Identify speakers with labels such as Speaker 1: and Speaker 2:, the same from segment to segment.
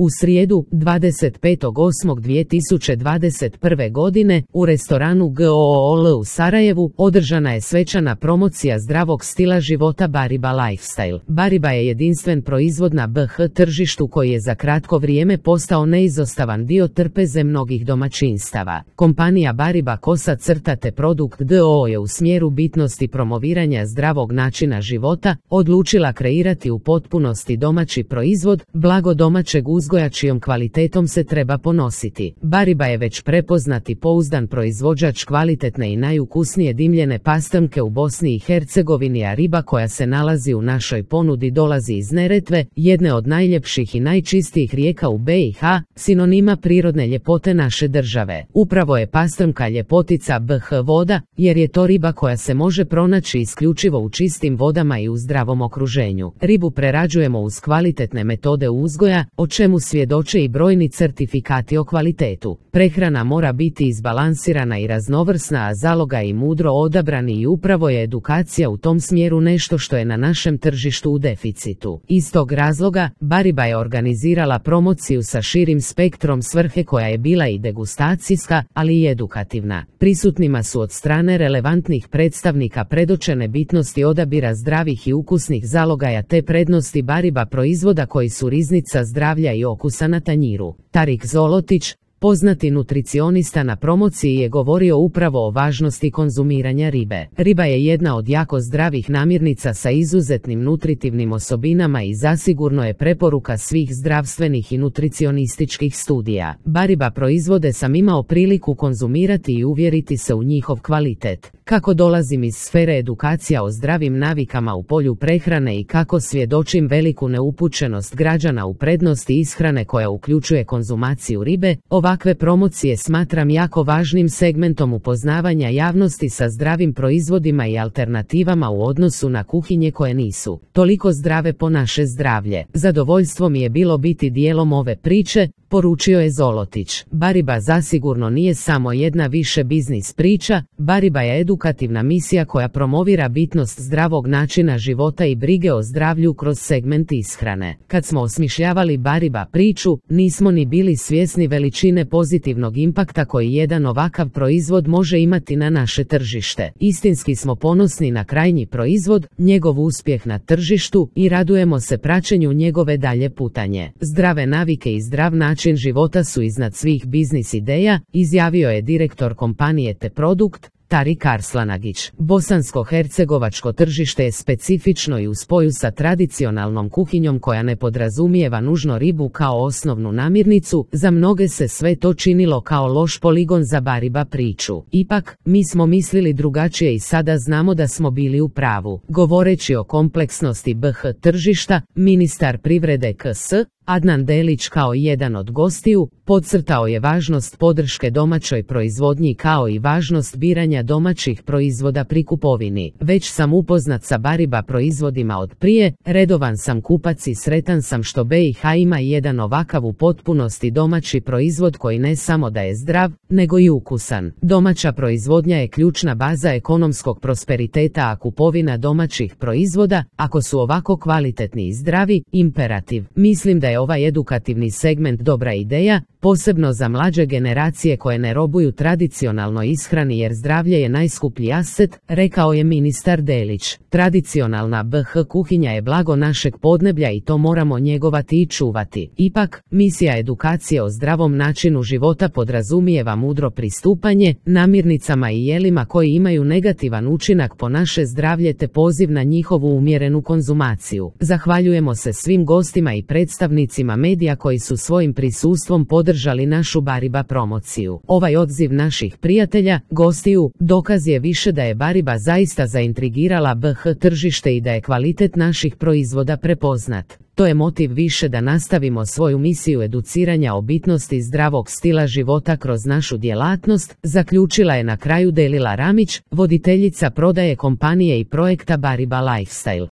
Speaker 1: U srijedu, 25.8.2021. godine, u restoranu GOOL u Sarajevu, održana je svečana promocija zdravog stila života Bariba Lifestyle. Bariba je jedinstven proizvod na BH tržištu koji je za kratko vrijeme postao neizostavan dio trpeze mnogih domaćinstava. Kompanija Bariba _te produkt d.o.o. je u smjeru bitnosti promoviranja zdravog načina života odlučila kreirati u potpunosti domaći proizvod, blago domaćeg uzgoja čijom kvalitetom se treba ponositi. Bariba je već prepoznat i pouzdan proizvođač kvalitetne i najukusnije dimljene pastrnke u Bosni i Hercegovini, a riba koja se nalazi u našoj ponudi dolazi iz Neretve, jedne od najljepših i najčistijih rijeka u BiH, sinonima prirodne ljepote naše države. Upravo je pastrnka ljepotica BH voda, jer je to riba koja se može pronaći isključivo u čistim vodama i u zdravom okruženju. Ribu prerađujemo uz kvalitetne metode uzgoja, o čemu svjedoče i brojni certifikati o kvalitetu. Prehrana mora biti izbalansirana i raznovrsna, a zaloga i mudro odabrani, i upravo je edukacija u tom smjeru nešto što je na našem tržištu u deficitu. Iz tog razloga, Bariba je organizirala promociju sa širim spektrom svrhe koja je bila i degustacijska, ali i edukativna. Prisutnima su od strane relevantnih predstavnika predočene bitnosti odabira zdravih i ukusnih zalogaja te prednosti Bariba proizvoda koji su riznica zdravlja i okusa na tanjiru. Tarik Zolotić, poznati nutricionista, na promociji je govorio upravo o važnosti konzumiranja ribe. Riba je jedna od jako zdravih namirnica sa izuzetnim nutritivnim osobinama i zasigurno je preporuka svih zdravstvenih i nutricionističkih studija. Bariba proizvode sam imao priliku konzumirati i uvjeriti se u njihov kvalitet. Kako dolazim iz sfere edukacija o zdravim navikama u polju prehrane i kako svjedočim veliku neupućenost građana u prednosti ishrane koja uključuje konzumaciju ribe, ovakve promocije smatram jako važnim segmentom upoznavanja javnosti sa zdravim proizvodima i alternativama u odnosu na kuhinje koje nisu toliko zdrave po naše zdravlje. Zadovoljstvo mi je bilo biti dijelom ove priče, poručio je Zolotić. Bariba zasigurno nije samo jedna više biznis priča, Bariba je edukativna misija koja promovira bitnost zdravog načina života i brige o zdravlju kroz segment ishrane. Kad smo osmišljavali Bariba priču, nismo ni bili svjesni veličine pozitivnog impakta koji jedan ovakav proizvod može imati na naše tržište. Istinski smo ponosni na krajnji proizvod, njegov uspjeh na tržištu i radujemo se praćenju njegove dalje putanje. Zdrave navike i zdrav način života su iznad svih biznis ideja, izjavio je direktor kompanije Te Produkt, Tarik Arslanagić. Bosansko-hercegovačko tržište je specifično i u spoju sa tradicionalnom kuhinjom koja ne podrazumijeva nužno ribu kao osnovnu namirnicu, za mnoge se sve to činilo kao loš poligon za Bariba priču. Ipak, mi smo mislili drugačije i sada znamo da smo bili u pravu. Govoreći o kompleksnosti BH tržišta, ministar privrede KS Adnan Delić kao jedan od gostiju podcrtao je važnost podrške domaćoj proizvodnji kao i važnost biranja domaćih proizvoda pri kupovini. Već sam upoznat sa Bariba proizvodima od prije, redovan sam kupac i sretan sam što BiH ima jedan ovakav u potpunosti domaći proizvod koji ne samo da je zdrav, nego i ukusan. Domaća proizvodnja je ključna baza ekonomskog prosperiteta, a kupovina domaćih proizvoda, ako su ovako kvalitetni i zdravi, imperativ. Mislim da je ovaj edukativni segment dobra ideja, posebno za mlađe generacije koje ne robuju tradicionalnoj ishrani jer zdravlje je najskuplji aset, rekao je ministar Delić. Tradicionalna BH kuhinja je blago našeg podneblja i to moramo njegovati i čuvati. Ipak, misija edukacije o zdravom načinu života podrazumijeva mudro pristupanje namirnicama i jelima koji imaju negativan učinak po naše zdravlje te poziv na njihovu umjerenu konzumaciju. Zahvaljujemo se svim gostima i predstavnicima medija koji su svojim prisustvom podržali našu Bariba promociju. Ovaj odziv naših prijatelja, gostiju, dokaz je više da je Bariba zaista zaintrigirala BH tržište i da je kvalitet naših proizvoda prepoznat. To je motiv više da nastavimo svoju misiju educiranja o bitnosti zdravog stila života kroz našu djelatnost, zaključila je na kraju Delila Ramić, voditeljica prodaje kompanije i projekta Bariba Lifestyle.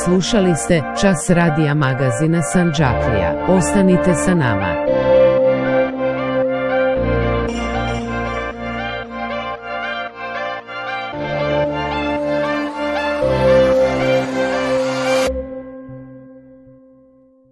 Speaker 1: Slušali ste Čas radija magazina Sandžaklija. Ostanite sa nama.